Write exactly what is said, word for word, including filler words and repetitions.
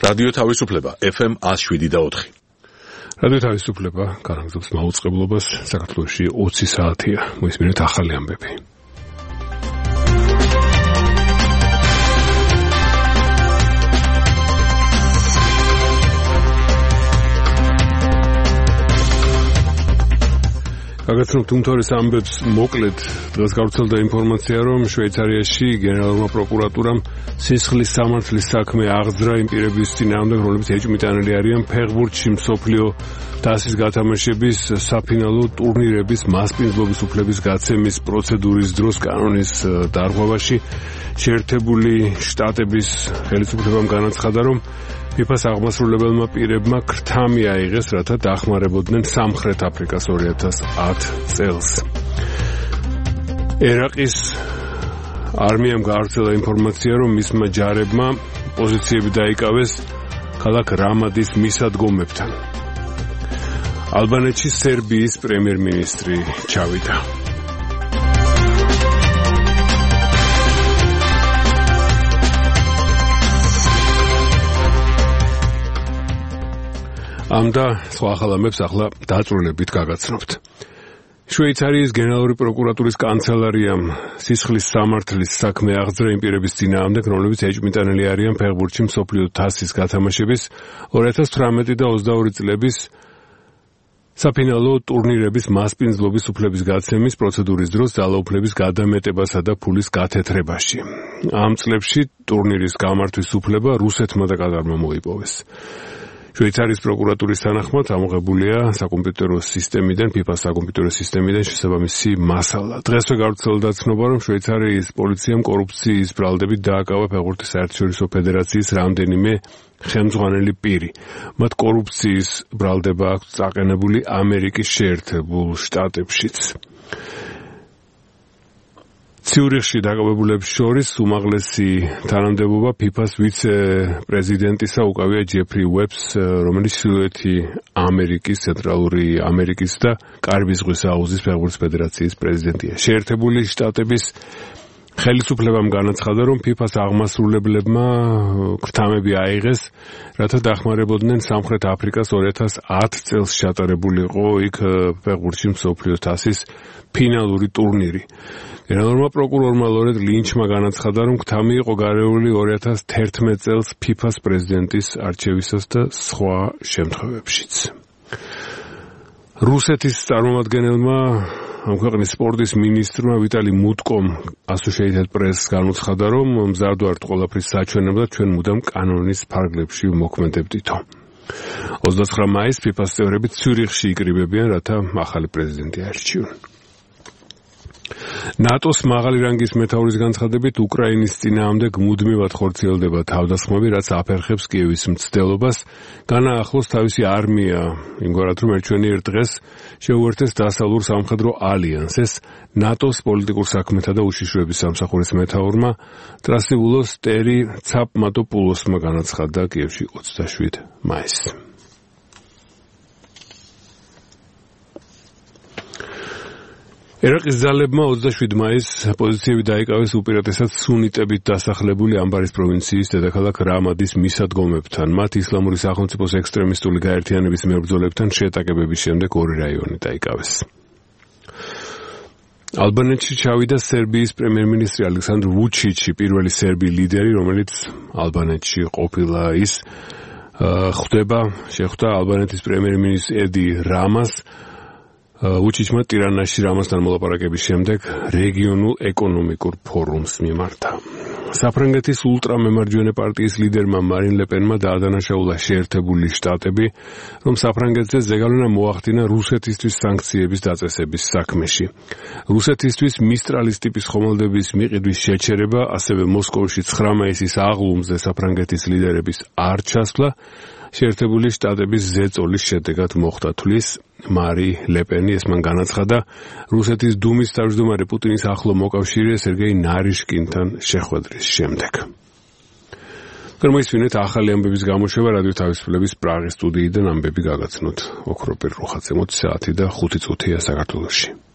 რადიო თავისუფლება F M one oh seven და four. რადიო თავისუფლება განაგრძობს მაუწყებლობას საქართველოში ოცი საათია. მოისმინეთ ახალი ამბები. გაგაცნობთ უმთავრეს ამბებს მოკლედ. დღეს გავრცელდა ინფორმაცია, რომ შვეიცარიაში გენერალურმა პროკურატურამ სისხლის სამართლის საქმე აღძრა იმ პირების წინააღმდეგ, რომლებიც ეჭვმიტანილი არიან ფეხბურთში მსოფლიო თასის გათამაშების საფინალო ტურნირების მასპინძლობის უფლების გაცემის პროცედურის დროს კანონის დარღვევაში. შეერთებული შტატების ხელისუფლებამ განაცხადა, რომ ფიფას აღმასრულებელმა პირებმა ქრთამი აიღეს, რათა დახმარებოდნენ სამხრეთ აფრიკას ორი ათას ათი წელს. ერაყის არმიამ გაავრცელა ინფორმაცია, რომ მისმა ჯარებმა პოზიციები დაიკავეს ქალაქ რამადის მისადგომებთან. ალბანეთში სერბიის პრემიერ-მინისტრი ჩავიდა. ამ და სხვა ახალ ამბებს ახლა დაწვრილებით გაგაცნობთ. შვეიცარიის გენერალური პროკურატურის კანცელარიამ სისხლის სამართლის საქმე აღძრა იმ პირების წინააღმდეგ, რომლებიც ეჭვმიტანილი არიან ფეხბურთში მსოფლიო თასის გათამაშების ორი ათას თვრამეტი და ოცდაორი წლების საფინალო ტურნირების მასპინძლობის უფლების გაცემის პროცედურის დროს ძალაუფლების გადამეტებასა და ფულის გათეთრებაში. ამ წლებში ტურნირის გამართვის უფლება რუსეთმა და კატარმა მოიპოვეს. შვეიცარიის პროკურატურის თანახმად ამოღებულია საკომპიუტერო სისტემიდან, ფიფას საკომპიუტერო სისტემიდან შესაბამისი მასალა. დღესვე გავრცელდა ცნობა, რომ შვეიცარიის პოლიციამ კორუფციის ბრალდებით დააკავა ფეხბურთის საერთაშორისო ფედერაციის რამდენიმე ხელმძღვანელი პირი. მათ კორუფციის ბრალდება აქვს წაყენებული ამერიკის შეერთებულ შტატებშიც. ციურიხში დაკავებულებს შორის უმაღლესი თანამდებობა ფიფას ვიცე-პრეზიდენტისა უკავია ჯეფრი უებს, რომელიც ჩრდილოეთი ამერიკის, ცენტრალური ამერიკის და კარიბის ზღვის აუზის ფეხბურთის ფედერაციის პრეზიდენტია. შეერთებული შტატების ხელისუფლებამ განაცხადა, რომ ფიფას აღმასრულებლებმა ქრთამები აიღეს, რათა დახმარებოდნენ სამხრეთ აფრიკას ორი ათას ათი წელს ჩატარებულიყო იქ ფეხბურთში მსოფლიო თასის ფინალური ტურნირი. გენერალურმა პროკურორმა ლორეტ ლინჩმა განაცხადა, რომ ქრთამი იყო გარეული ორი ათას თერთმეტ წელს ფიფას პრეზიდენტის არჩევისას და სხვა შემთხვევებშიც. რუსეთის წარმომადგენელმა ამ ქვეყნის სპორტის მინისტრმა ვიტალი მუტკომ Associated Press განუცხადა, რომ მზად ვართ ყველაფრის საჩვენებლად, ჩვენ მუდამ კანონის ფარგლებში მოქმედებდითო. ოცდაცხრა მაისს ფიფას წევრები ციურიხში იკრიბებიან, რათა ახალი პრეზიდენტი აირჩიონ. ნატოს მაღალი რანგის მეთაურის განცხადებით, უკრაინის წინააღმდეგ მუდმივად ხორციელდება თავდასხმები, რაც აფერხებს კიევის მცდელობას, განაახლოს თავისი არმია, იმგვარად რომ ერთჩვენიერ დღეს შეუერთდეს დასავლურ სამხედრო ალიანსს. ნატოს პოლიტიკურ საქმეთა და უშიშროების სამსახურის მეთაურმა ტრასიბულოს ტერი ცაპმატოპულოსმა განაცხადა კიევში ოცდაშვიდი მაისს. ერაყის ძალებმა ოცდაშვიდი მაისს პოზიციები დაიკავეს უპირატესად სუნიტებით დასახლებული ამბარის პროვინციის დედაქალაქ რამადის მისადგომებთან. მათ ისლამური სახელმწიფოს ექსტრემისტული გაერთიანების მებრძოლებთან შეტაკებების შემდეგ ორი რაიონი დაიკავეს. ალბანეთში ჩავიდა სერბიის პრემიერ-მინისტრი ალექსანდრ ვუჩიჩი, პირველი სერბი ლიდერი, რომელიც ალბანეთში ყოფილა. ის ხვდება, შეხვდა ალბანეთის პრემიერ-მინისტრ ედი რამას. ვუჩიჩმა ტირანაში რამასთან მოლაპარაკების შემდეგ რეგიონულ ეკონომიკურ ფორუმს მიმართა. საფრანგეთის ულტრამემარჯვენე პარტიის ლიდერმა მარინ ლეპენმა დაადანაშაულა შეერთებული შტატები, რომ საფრანგეთზე ზეგავლენა მოახდინა რუსეთისთვის სანქციების დაწესების საქმეში. რუსეთისთვის მისტრალის ტიპის ხომალდების მიყიდვის შეჩერება, ასევე მოსკოვში ცხრა მაისის აღლუმზე საფრანგეთის ლიდერების არ ჩასვლა შეერთებული შტატების ზეწოლის შედეგად მოხდა, თვლის მარი ლეპენი. ეს მან განაცხადა რუსეთის დუმის თავმჯდომარე პუტინის ახლო მოკავშირე სერგეი ნარიშკინთან შეხვედრის შემდეგ. გამოისმინეთ ახალი ამბების გამოშვება რადიო თავისუფლების პრაღის სტუდიიდან. ამბები გაგაცნოთ ოქროპირ რუხაძე. მოც საათი და ხუთი წუთია საქართველოში.